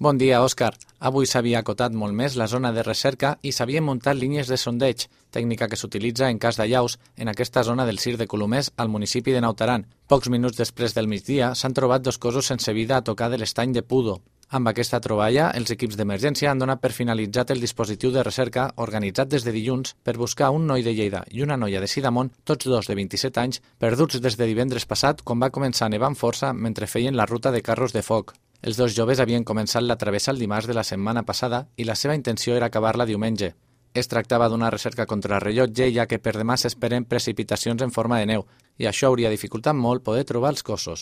Bon dia, Òscar. Avui s'havia acotat molt més la zona de recerca i s'havien muntat línies de sondeig, tècnica que s'utilitza en cas d'allaus en aquesta zona del Cir de Colomers al municipi de Naut Aran. Pocs minuts després del migdia s'han trobat dos cossos sense vida a tocar de l'estany de Pudo. Amb aquesta troballa, els equips d'emergència han donat per finalitzat el dispositiu de recerca organitzat des de dilluns per buscar un noi de Lleida i una noia de Sidamon, tots dos de 27 anys, perduts des de divendres passat quan va començar nevant força mentre feien la ruta de carros de foc. Els dos joves havien començat la travessa el dimarts de la setmana passada i la seva intenció era acabar-la diumenge. Es tractava d'una recerca contra rellotge, ja que per demà s'esperen precipitacions en forma de neu, i això hauria dificultat molt poder trobar els cossos.